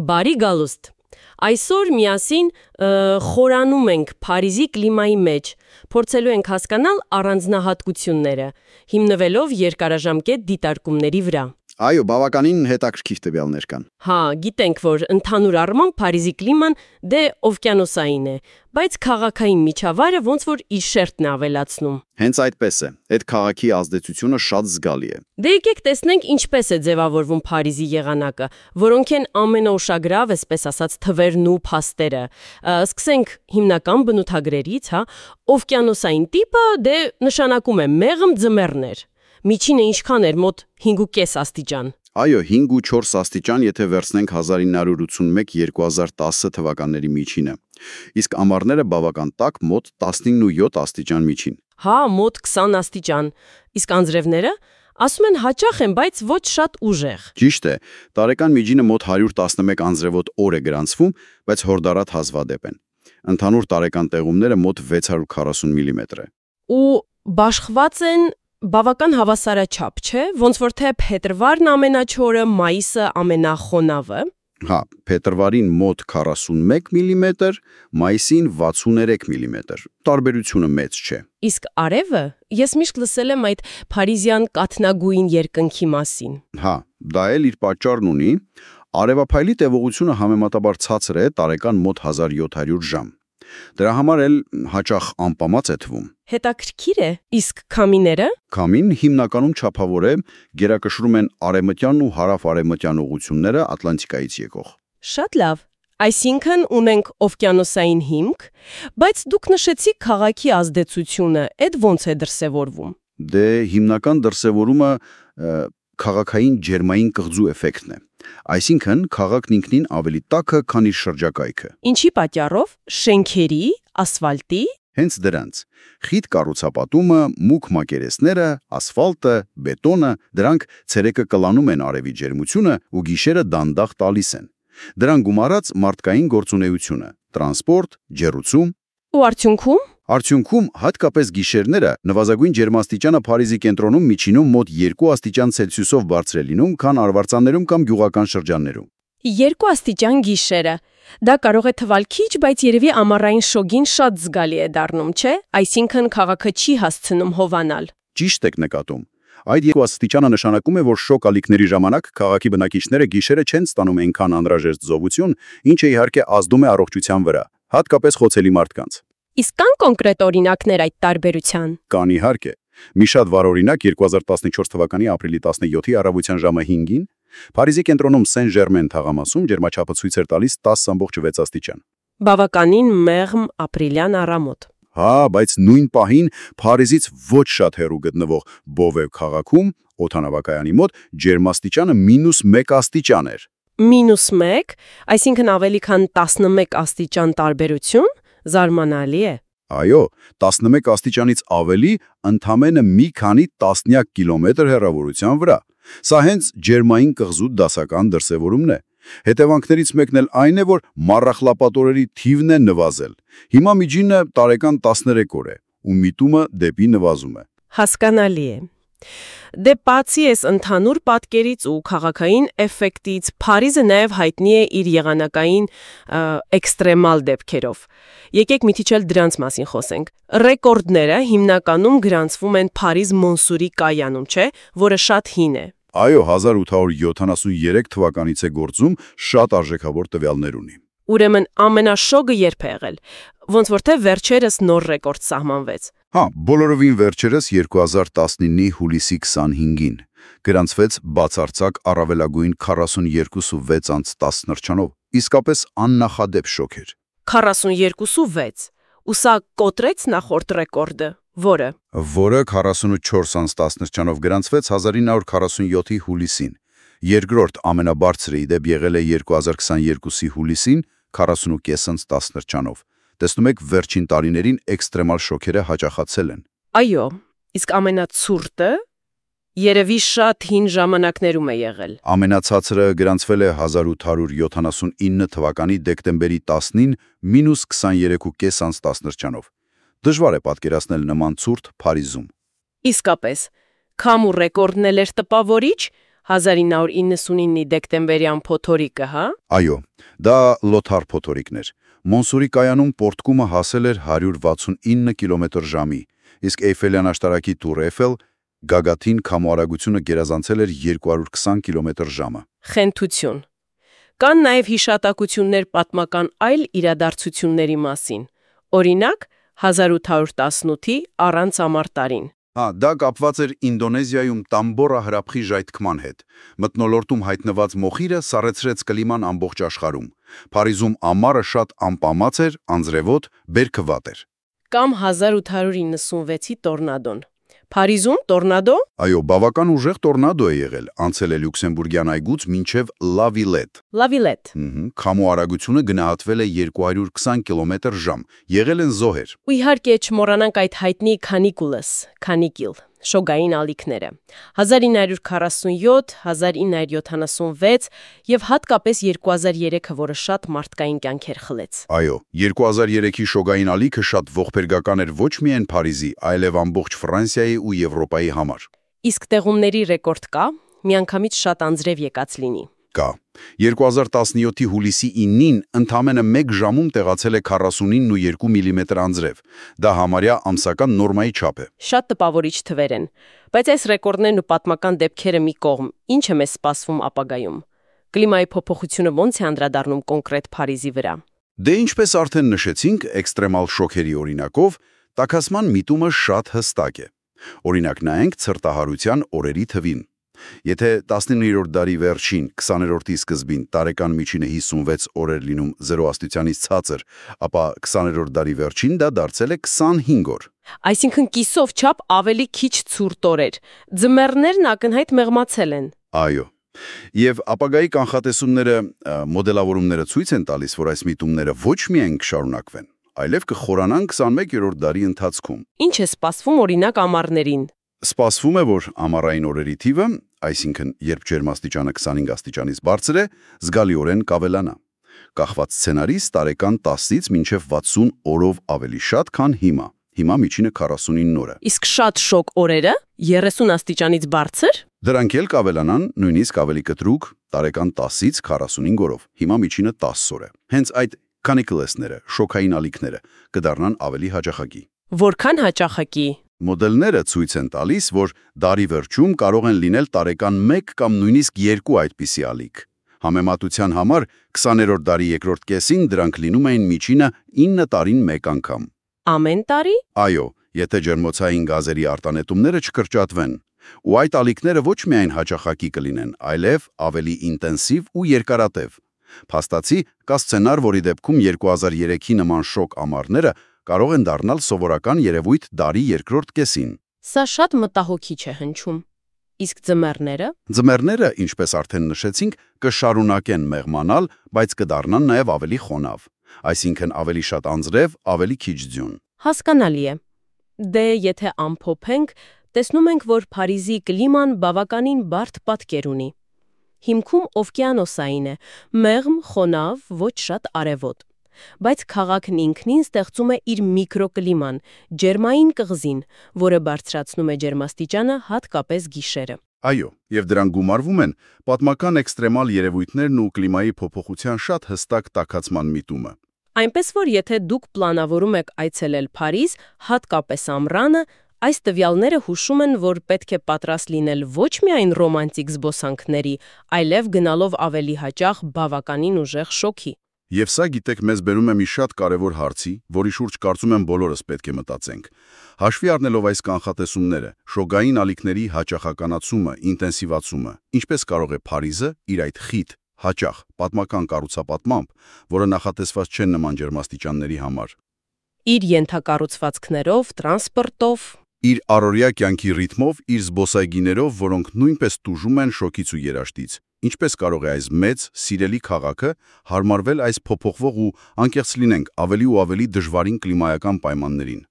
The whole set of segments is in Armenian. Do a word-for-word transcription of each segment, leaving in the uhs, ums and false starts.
Բարի գալուստ։ Այսօր միասին խորանում ենք Փարիզի կլիմայի մեջ, փորձելու ենք հասկանալ առանձնահատկությունները, հիմնվելով երկարաժամկետ դիտարկումների վրա։ Այո, բավականին հետաքրքիր տվյալներ կան։ Հա, գիտենք, որ ընդհանուր առմամբ Փարիզի կլիման դե օվկիանոսային է, բայց քաղաքային միջավայրը ոնց որ իր շերտն է ավելացնում։ Հենց այդպես է։ Այդ քաղաքի ազդեցությունը շատ զգալի է։ Դե եկեք տեսնենք ինչպես է ձևավորվում Փարիզի եղանակը, որոնք են ամենաուշագրավ, այսպես ասած, թվերն ու փաստերը։ Սկսենք հիմնական բնութագրերից, հա, օվկիանոսային տիպը դե նշանակում է մեղմ ձմեռներ։ Միջինը ինչքան էր, մոտ հինգ ու կես աստիճան։ Այո, հինգ ու չորս աստիճան, եթե վերցնենք հազար ինը հարյուր ութսունմեկ - երկու հազար տասը թվականների միջինը։ Իսկ ամառները բավական տաք, մոտ տասնինը ու յոթ աստիճան միջին։ Հա, մոտ քսան աստիճան։ Իսկ անձրևները ասում են հաճախ են, բայց ոչ շատ ուժեղ։ Ճիշտ է, տարեկան միջինը մոտ հարյուր տասնմեկ անձրևոտ օր է գրանցվում, բայց հորդառատ հազվադեպ են։ Ընդհանուր տարեկան տեղումները մոտ վեց հարյուր քառասուն միլիմետր է։ Ու բաշխված են բավական հավասարաչափ, չէ՞, ոնց որ թե փետրվարն ամենաչորը, մայիսը ամենախոնավը։ Հա, փետրվարին մոտ քառասունմեկ միլիմետր, մայիսին վաթսուներեք միլիմետր։ Տարբերությունը մեծ չէ։ Իսկ արևը, ես միշտ լսել եմ այդ փարիզյան կաթնագույն երկնքի մասին։ Հա, դա էլ իր պատճառն ունի։ Արևափայլի տևողությունը համեմատաբար ցածր է, տարեկան մոտ հազար յոթ հարյուր ժամ։ Դրա համար էլ հաճախ անպամած է թվում։ Հետաքրքիր է, իսկ քամիները։ Քամին հիմնականում չափավոր է, գերակշռում են արևմտյան ու հարավ-արևմտյան ուղղությունները Ատլանտիկայից եկող։ Շատ լավ։ Այսինքն ունենք օվկիանոսային հիմք, բայց դուք նշեցիք քաղաքի ազդեցությունը, այդ ոնց է դրսևորվում։ Դե հիմնական դրսևորումը քաղաքային ջերմային կղզու էֆեկտն է։ Այսինքն քաղաքն ինքնին ավելի տաք է, քան իր շրջակայքը։ Ինչի պատճառով։ Շենքերի, ասֆալտի։ Հենց դրանց։ Խիտ կառուցապատումը, մուգ մակերեսները, ասֆալտը, բետոնը, դրանք ցերեկը կլանում են արևի ջերմությունը ու գիշերը դանդաղ տալիս են։ Դրան գումարած մարդկային գործունեությունը, տրանսպորտ, ջեռուցում։ Ու արդյունքում։ Արդյունքում հատկապես գիշերները նվազագույն ջերմաստիճանը Փարիզի կենտրոնում միջինում մոտ երկու աստիճան Ցելսիուսով բարձր է լինում, քան արվարձաններում կամ գյուղական շրջաններում։ Երկու աստիճան գիշերը։ Դա կարող է թվալ քիչ, բայց երևի ամառային շոգին շատ զգալի է դառնում, չէ՞։ Այսինքն քաղաքը չի հասցնում հովանալ։ Ճիշտ եք նկատում։ Այդ երկու աստիճանը նշանակում է, որ շոկ ալիքների ժամանակ քաղաքի բնակիչները գիշերը չեն ստանում այնքան անհրաժեշտ զովություն, ինչը իհարկե ազդում է առողջության վրա, հատկապես խոցելի մարդկանց։ Իսկ կան կոնկրետ օրինակներ այդ տարբերության։ Կան իհարկե։ Մի շատ վառ օրինակ երկու հազար տասնչորս թվականի ապրիլի տասնյոթի առավոտյան ժամը հինգին Փարիզի կենտրոնում Սեն-Ժերմեն թաղամասում ջերմաչափը ցույց էր տալիս տասը ամբողջ վեց աստիճան։ Բավականին մեղմ ապրիլյան առամոտ։ Հա, բայց նույն պահին Փարիզից ոչ շատ հեռու գտնվող Բովե քաղաքում օդանավակայանի մոտ ջերմաստիճանը մինուս մեկ աստիճան էր։ Մինուս մեկ, այսինքն ավելի քան տասնմեկ աստիճան տարբերություն, զարմանալի է։ Այո, տասնմեկ աստիճանից ավելի ընդամենը մի քանի տասնյակ կիլոմետր հեռավորության վրա։ Սա հենց ջերմային կղզու դասական դրսևորումն է։ Հետևանքներից մեկն էլ այն է, որ մառախլապատորերի թիվն է նվազել։ Հիմա միջինը տարեկան տասներեք օր է, ու միտումը դեպի նվազում է։ Հասկանալի է։ Դե բացի այս ընդհանուր պատկերից ու քաղաքային էֆեկտից, Փարիզը նաև հայտնի է իր եղանակային էքստրեմալ դեպքերով։ Եկեք մի քիչ էլ դրանց մասին խոսենք։ Ռեկորդները հիմնականում գրանցվում են Փարիզ Մոնսուրի կայանում, չէ՞, որը շատ հին է։ Այո, հազար ութ հարյուր յոթանասուներեք թվականից է գործում, շատ արժեքավոր տվյալներ ունի։ Ուրեմն ամենաշոգը երբ է եղել։ Ոնց որ թե վերջերս նոր ռեկորդ սահմանվեց։ Հա, բոլորովին վերջերս երկու հազար տասնինի հուլիսի քսանհինգին գրանցվեց բացարձակ առավելագույն քառասունյոթ ու վեց անց տասը նրճանով, իսկապես աննախադեպ շոկ էր։ քառասունյոթ ու վեց, ու սա կոտրեց նախորդ ռեկորդը, որը որը քառասունչորս անց տասը նրճանով գրանցվեց հազար ինը հարյուր քառասունյոթի հուլիսին։ Երկրորդ ամենաբարձրը ի դեպ եղել է երկու հազար քսաներկուի հուլիսին քառասունկես անց տասը նրճանով։ Տեսնում եք, վերջին տարիներին էքստրեմալ շոկերը հաճախացել են։ Այո, իսկ ամենացուրտը երևի շատ հին ժամանակներում է եղել։ Ամենացածրը գրանցվել է հազար ութ հարյուր յոթանասունինը թվականի դեկտեմբերի տասնին մինուս քսաներեք ու կես անց տասը նրճանով։ Դժվար է պատկերացնել նման ցուրտ Փարիզում։ Իսկապես, քամու ռեկորդն էլ էր տպավորիչ, հազար ինը հարյուր իննսունինի դեկտեմբերյան փոթորիկը, հա։ Այո, դա Լոթար փոթորիկն էր։ Մոնսուրի կայանում պորտկումը հասել էր հարյուր վաթսունինը կիլոմետր ժամի, իսկ Էյֆելյան աշտարակի Տուր Էյֆել գագաթին քամուարագությունը գերազանցել էր երկու հարյուր քսան կիլոմետր ժամը։ Խենթություն։ Կան նաև հիշատակություններ պատմական այլ իրադարձությունների մասին։ Օրինակ, հազար ութ հարյուր տասնութի առանց ամառ տարին։ Հա, դա կապված էր Ինդոնեզիայում Տամբորա հրաբխի ժայթքման հետ։ Մթնոլորտում հայտնված մոխիրը սառեցրեց կլիման ամբողջ աշխարհում։ Փարիզում ամառը շատ անպամած էր, անձրևոտ, բերքը վատ էր։ Կամ հազար ութ հարյուր իննսունվեցի տորնադոն։ Փարիզում տորնադո։ Այո, բավական ուժեղ տորնադո է եղել, անցել է Լյուքսեմբուրգյան այգուց մինչև Լա Վիլետ։ Լա Վիլետ։ Քամու արագությունը գնահատվել է երկու հարյուր քսան կիլոմետր ժամ։ Եղել են զոհեր։ Ու իհարկե չմոռանանք այդ հայտնի քանիկուլս, քանիկիլ, շոգային ալիքները։ հազար ինը հարյուր քառասունյոթ, հազար ինը հարյուր յոթանասունվեց եւ հատկապես երկու հազար երեքը, որը շատ մարդկային կյանքեր խլեց։ Այո, երկու հազար երեքի շոգային ալիքը շատ ողբերգական էր ոչ միայն Փարիզի, այլև ամբողջ Ֆրանսիայի ու Եվրոպայի համար։ Իսկ տեղումների ռեկորդ կա, միանգամից շատ անձրև եկած լինի։ Կա։ երկու հազար տասնյոթի հուլիսի ինին ընդամենը մեկ ժամում տեղացել է քառասունինը ու երկու միլիմետր անձրև։ Դա համարյա ամսական նորմայի չափ է։ Շատ տպավորիչ թվեր են, բայց այս ռեկորդներն ու պատմական դեպքերը մի կողմ, ինչ է մեզ սպասվում ապագայում։ Կլիմայի փոփոխությունը ո՞նց է անդրադառնում կոնկրետ Փարիզի վրա։ Դե ինչպես արդեն նշեցինք, էքստրեմալ շոքերի օրինակով, տաքացման միտումը շատ հստակ է։ Օրինակ նայենք ցրտահարության օրերի թվին։ Եթե տասնիններորդ դարի վերջին, քսաներորդի սկզբին տարեկան միջինը հիսունվեց օր էր լինում զերո աստիճանից ցածր, ապա քսաներորդ դարի վերջին դա դարձել է քսանհինգ օր։ Այսինքն կիսով չափ ավելի քիչ ցուրտ օրեր։ Ձմեռներն ակնհայտ մեղմացել են։ Այո։ Եվ ապագայի կանխատեսումները, մոդելավորումները ցույց են տալիս, որ այս միտումները ոչ միայն կշարունակվեն, այլև կխորանան քսանմեկերորդ դարի ընթացքում։ Ինչ է սպասվում օրինակ ամառներին։ Սպասվում է, որ ամառային օրերի թիվը, այսինքն երբ ջերմաստիճանը քսանհինգ աստիճանից բարձր է, զգալիորեն կավելանա։ Կախված սցենարից տարեկան տասից մինչև վաթսուն օրով ավելի շատ, քան հիմա։ Հիմա միջինը քառասունինը օրը։ Իսկ շատ շոկ օրերը երեսուն աստիճանից բարձր։ Դրանք էլ կավելանան նույնիսկ ավելի կտրուկ տարեկան տասից քառասունհինգ օրով։ Հիմա միջինը տասը օր է։ Հենց այդ canicles-ները, շոկային ալիքները կդառնան ավելի հաճախակի։ Որքան հաճախակի։ Մոդելները ցույց են տալիս, որ դարի վերջում կարող են լինել տարեկան մեկ կամ նույնիսկ երկու այդպիսի ալիք։ Համեմատության համար քսաներորդ դարի երկրորդ կեսին դրանք լինում էին միջինը ինը տարին մեկ անգամ։ Ամեն տարի։ Այո, եթե ջերմոցային գազերի արտանետումները չկրճատվեն, ու այդ ալիքները ոչ միայն հաճախակի կլինեն, այլև ավելի ինտենսիվ ու երկարատև։ Փաստացի կա սցենար, որի դեպքում երկու հազար երեքի նման շոկ ամառները կարող են դառնալ սովորական երևույթ դարի երկրորդ կեսին։ Սա շատ մտահոգիչ է հնչում։ Իսկ ձմեռները։ Ձմեռները, ինչպես արդեն նշեցինք, կշարունակեն մեղմանալ, բայց կդառնան նաև ավելի խոնավ, այսինքն ավելի շատ անձրև, ավելի քիչ ձյուն։ Հասկանալի է։ Դե եթե ամփոփենք, տեսնում ենք, որ Փարիզի կլիման բավականին բարդ պատկեր ունի։ Հիմքում օվկիանոսային է, մեղմ, խոնավ, ոչ շատ արևոտ։ Բայց քաղաքն ինքնին ստեղծում է իր միկրոկլիման, ջերմային կղզին, որը բարձրացնում է ջերմաստիճանը հատկապես գիշերը։ Այո, եւ դրան գումարվում են պատմական էքստրեմալ երևույթներն ու կլիմայի փոփոխության շատ հստակ տաքացման միտումը։ Այնպես որ եթե դուք պլանավորում եք այցելել Փարիզ, հատկապես ամռանը, այս տվյալները հուշում են, որ պետք է պատրաստ լինել ոչ միայն ռոմանտիկ զբոսանքների, այլև գնալով ավելի հաճախ բավականին ուժեղ շոկի։ Եվ սա, գիտեք, մեզ բերում է մի շատ կարևոր հարցի, որի շուրջ կարծում եմ բոլորս պետք է մտածենք։ Հաշվի առնելով այս կանխատեսումները, շոգային ալիքների հաճախականացումը, ինտենսիվացումը, ինչպես կարող է Փարիզը իր այդ խիտ, հաճախ, պատմական կառուցապատմամբ, որը նախատեսված չեն նման ջերմաստիճանների համար, իր ենթակառուցվածքներով, տրանսպորտով, իր առօրյա կյանքի ռիթմով, իր զբոսայգիներով, որոնք նույնպես տուժում են շոկից ու երաշտից, ինչպես կարող է այս մեծ, սիրելի քաղաքը հարմարվել այս փոփոխվող ու, անկեղծ լինենք, ավելի ու ավելի դժվարին կլիմայական պայմաններին։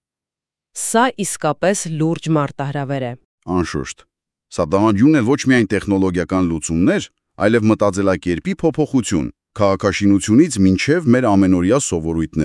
Սա իսկապես լուրջ մարտահրավեր է։ Անշուշտ։ Սա դահանջում է ոչ միայն տեխնոլոգիական լուծումներ, այլև մտածելակերպի փոփոխություն, քաղաքաշինությունից մինչև մեր ամենօրյա սովորույթներ։